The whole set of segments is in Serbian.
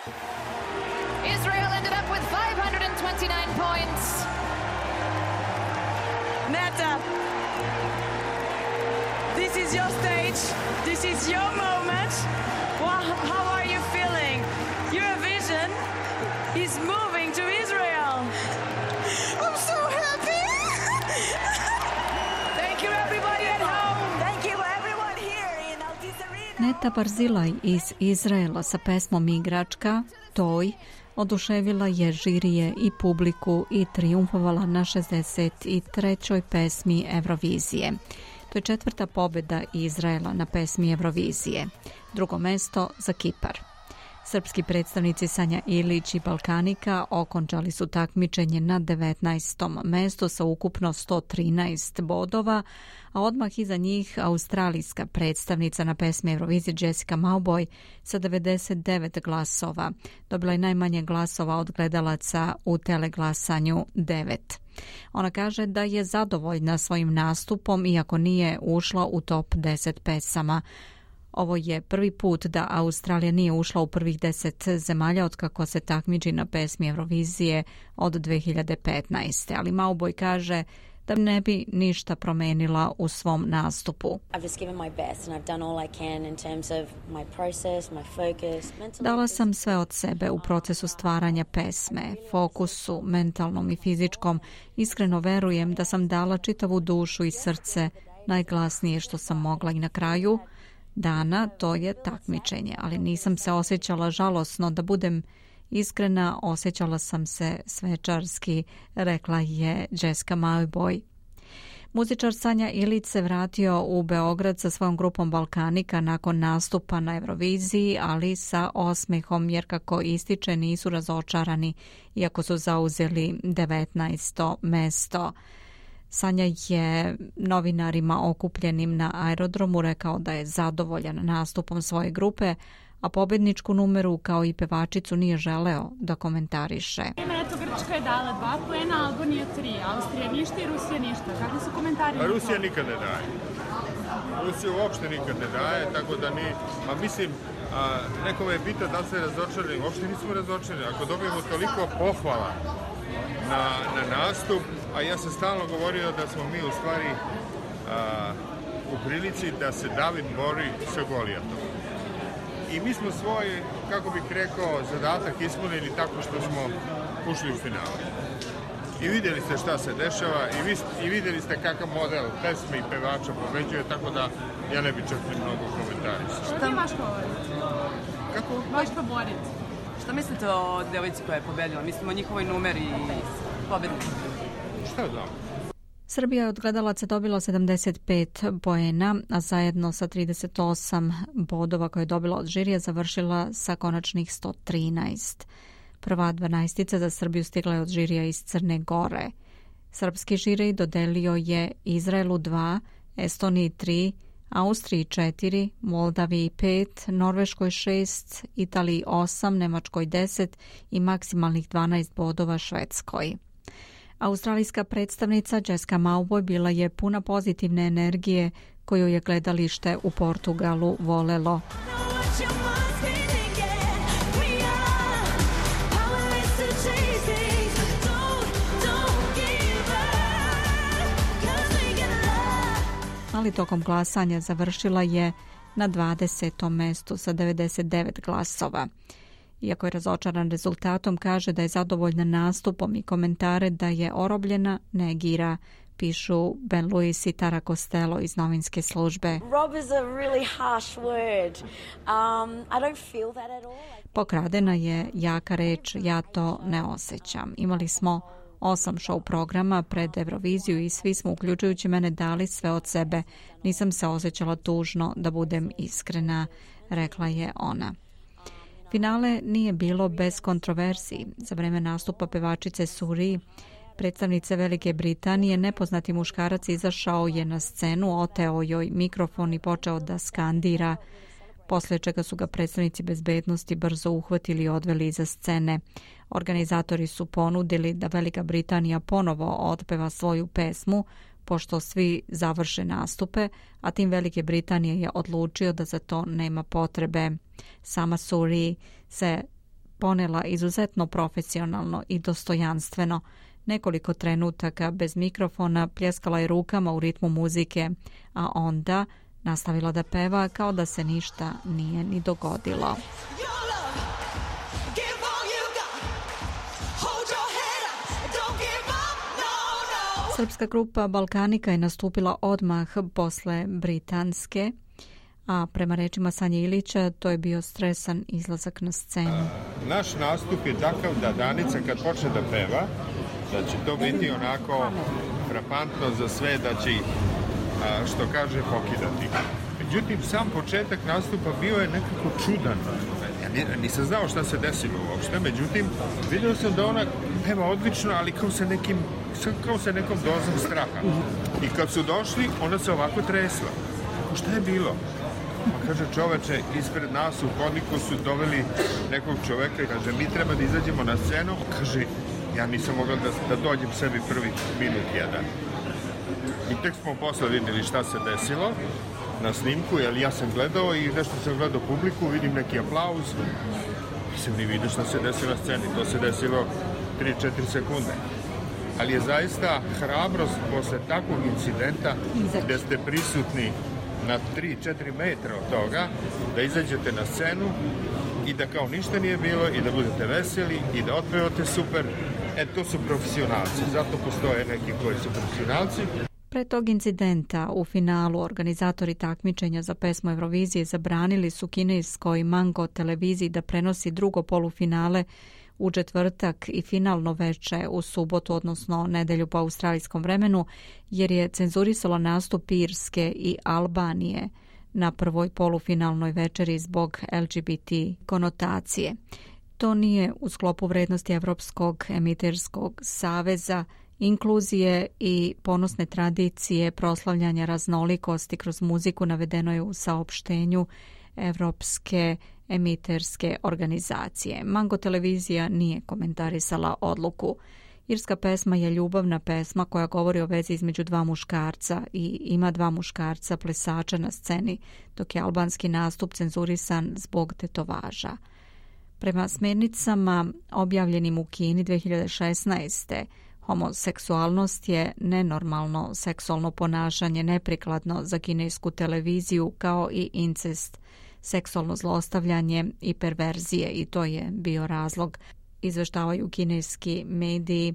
Israel ended up with 529 points. Netta, this is your stage. This is your moment. How are you feeling? Eurovision is moving to Israel. I'm so happy. Thank you everybody at home. Thank you everyone here in Altice Arena. Netta Barzilaj iz Izraela sa pesmom Igračka, Toj, oduševila je žirije i publiku i triumfovala na 63. pesmi Eurovizije. To je 4. pobjeda Izraela na pesmi Eurovizije. Drugo mesto za Kipar. Srpski predstavnici Sanja Ilić i Balkanika okončali su takmičenje na 19. mestu sa ukupno 113 bodova, a odmah iza njih australijska predstavnica na pesmi Eurovizije Jessica Mauboy sa 99 glasova. Dobila je najmanje glasova od gledalaca u teleglasanju 9. Ona kaže da je zadovoljna svojim nastupom iako nije ušla u top 10 pesama. Ovo je prvi put da Australija nije ušla u prvih 10 zemalja otkako se takmiči na pesmi Eurovizije od 2015. Ali Mauboy kaže da ne bi ništa promenila u svom nastupu. Dala sam sve od sebe u procesu stvaranja pesme, fokusu, mentalnom i fizičkom. Iskreno verujem da sam dala čitavu dušu i srce, najglasnije što sam mogla i na kraju dana to je takmičenje, ali nisam se osjećala žalosno, da budem iskrena, osjećala sam se svečarski, rekla je Jessica Mauboy. Muzičar Sanja Ilić se vratio u Beograd sa svojom grupom Balkanika nakon nastupa na Euroviziji, ali sa osmehom jer kako ističe nisu razočarani iako su zauzeli 19. mesto. Sanja je novinarima okupljenim na aerodromu rekao da je zadovoljan nastupom svoje grupe, a pobjedničku numeru kao i pevačicu nije želeo da komentariše. Eto, Grčka je dala 2 poena, Albanija 3, Austrija ništa i Rusija ništa. Kakvi su komentari? Rusija nikad ne daje. Rusija uopšte nikad ne daje, tako da mi, mislim, neko me je pitao da se razočarali, uopšte nismo razočarali. Ako dobijemo toliko pohvala na nastup, a ja sam stalno govorio da smo mi u stvari u prilici da se David bori sa Golijatom. I mi smo svoj, kako bih rekao, zadatak ispunili tako što smo ušli u finale. I vidjeli ste šta se dešava i vidjeli ste kakav model pesme i pevača pobeđuje, tako da ja ne bi čak ni mnogo komentarisao. Šta je vaš favorit? Kako? Vaš favorit. Šta mislite o devojci koja je pobedila? Mislim o njihovoj numeri i pobednici. Šta da? Srbija je od gledalaca dobila 75 poena, a zajedno sa 38 bodova koje je dobila od žirija završila sa konačnih 113. Prva 12 za Srbiju stigla je od žirija iz Crne Gore. Srpski žirij dodelio je Izraelu 2, Estoniji 3, Austriji 4, Moldaviji 5, Norveškoj 6, Italiji 8, Nemačkoj 10 i maksimalnih 12 bodova Švedskoj. Australijska predstavnica Jessica Mauboy bila je puna pozitivne energije koju je gledalište u Portugalu volelo. Ali tokom glasanja završila je na 20. mestu sa 99 glasova. Iako je razočaran rezultatom, kaže da je zadovoljna nastupom i komentare da je orobljena negira, pišu Ben Lewis i Tara Costello iz novinske službe. Pokradena je jaka reč, ja to ne osjećam. Imali smo 8 show programa pred Euroviziju i svi smo, uključujući mene, dali sve od sebe. Nisam se osjećala tužno, da budem iskrena, rekla je ona. Finale nije bilo bez kontroverziji. Za vreme nastupa pevačice Suri, predstavnice Velike Britanije, nepoznati muškarac izašao je na scenu, oteo joj mikrofon i počeo da skandira, poslije čega su ga predstavnici bezbednosti brzo uhvatili i odveli iza scene. Organizatori su ponudili da Velika Britanija ponovo otpeva svoju pesmu, pošto svi završe nastupe, a tim Velike Britanije je odlučio da za to nema potrebe. Sama Suri se ponela izuzetno profesionalno i dostojanstveno. Nekoliko trenutaka bez mikrofona pljeskala je rukama u ritmu muzike, a onda nastavila da peva kao da se ništa nije ni dogodilo. Srpska grupa Balkanika je nastupila odmah posle britanske, a prema rečima Sanje Ilića to je bio stresan izlazak na scenu. Naš nastup je takav da Danica kad počne da peva, da će to biti onako frapantno za sve, da će ih, što kaže, pokidati. Međutim, sam početak nastupa bio je nekako čudan. Ja nisam znao šta se desilo uopšte, međutim, vidio sam da ona peva odlično, ali kao sa nekom dozom straha. I kad su došli, ona se ovako tresla. Šta je bilo? Pa kaže, čoveče, ispred nas u hodniku su doveli nekog čoveka i kaže, mi treba da izađemo na scenu. Kaže, ja nisam mogla da dođem sebi prvi minut jedan. I tek smo posle vidjeli šta se desilo na snimku, jer ja sam gledao i nešto sam gledao publiku, vidim neki aplauz. Nisam ni vidio šta se desilo na sceni, to se desilo 3-4 sekunde. Ali je zaista hrabrost posle takvog incidenta gde ste prisutni na 3-4 metra od toga, da izađete na scenu i da kao ništa nije bilo i da budete veseli i da otpevate super. To su profesionalci, zato postoje neki koji su profesionalci. Pre tog incidenta u finalu organizatori takmičenja za pesmu Eurovizije zabranili su kineskoj Mango televiziji da prenosi drugo polufinale u četvrtak i finalno veče u subotu, odnosno nedelju po australijskom vremenu, jer je cenzurisalo nastup Irske i Albanije na prvoj polufinalnoj večeri zbog LGBT konotacije. To nije u sklopu vrednosti Evropskog emiterskog saveza, inkluzije i ponosne tradicije proslavljanja raznolikosti kroz muziku, navedeno je u saopštenju Evropske emiterske organizacije. Mango televizija nije komentarisala odluku. Irska pesma je ljubavna pesma koja govori o vezi između dva muškarca i ima dva muškarca plesača na sceni, dok je albanski nastup cenzurisan zbog tetovaža. Prema smernicama objavljenim u Kini 2016. homoseksualnost je nenormalno seksualno ponašanje neprikladno za kinesku televiziju, kao i incest, seksualno zlostavljanje i perverzije, i to je bio razlog, izveštavaju kineski mediji.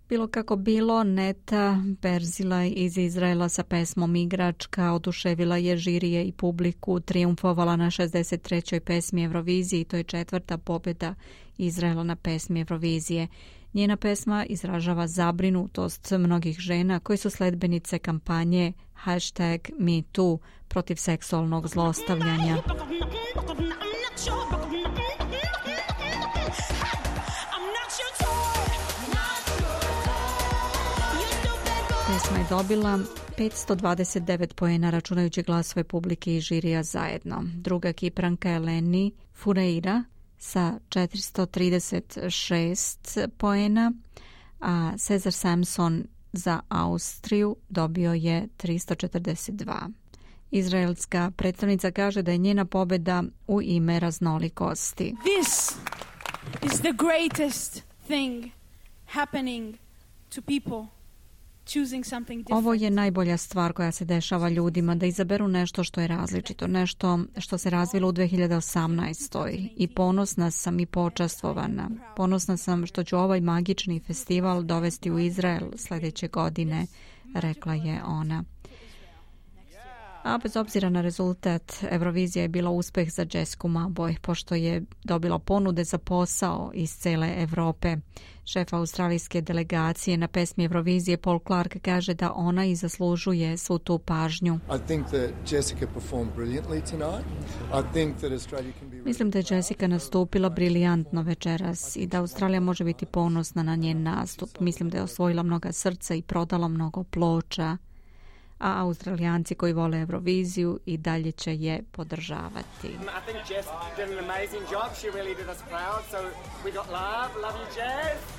Bilo kako bilo, Neta Berzilaj iz Izraela sa pesmom Igračka oduševila je žirije i publiku, triumfovala na 63. pesmi Eurovizije i to je 4. pobjeda Izraela na pesmi Eurovizije. Njena pesma izražava zabrinutost mnogih žena koji su sledbenice kampanje #MeToo protiv seksualnog zlostavljanja. Pesma je dobila 529 poena računajući glasove publike i žirija zajedno. Druga Kipranka Eleni Fureira sa 436 poena, a Cesar Samson za Austriju dobio je 342. Izraelska predstavnica kaže da je njena pobjeda u ime raznolikosti. This is the greatest thing happening to people. Ovo je najbolja stvar koja se dešava ljudima, da izaberu nešto što je različito, nešto što se razvilo u 2018. I ponosna sam i počastvovana. Ponosna sam što ću ovaj magični festival dovesti u Izrael sljedeće godine, rekla je ona. A bez obzira na rezultat, Eurovizija je bila uspeh za Jessicu Maboj, pošto je dobila ponude za posao iz cele Evrope. Šef australijske delegacije na pesmi Eurovizije Paul Clark kaže da ona i zaslužuje svu tu pažnju. Mislim da je Jessica nastupila briljantno večeras i da Australija može biti ponosna na njen nastup. Mislim da je osvojila mnoga srca i prodala mnogo ploča. A Australijanci koji vole Euroviziju i dalje će je podržavati. Love you, Jess.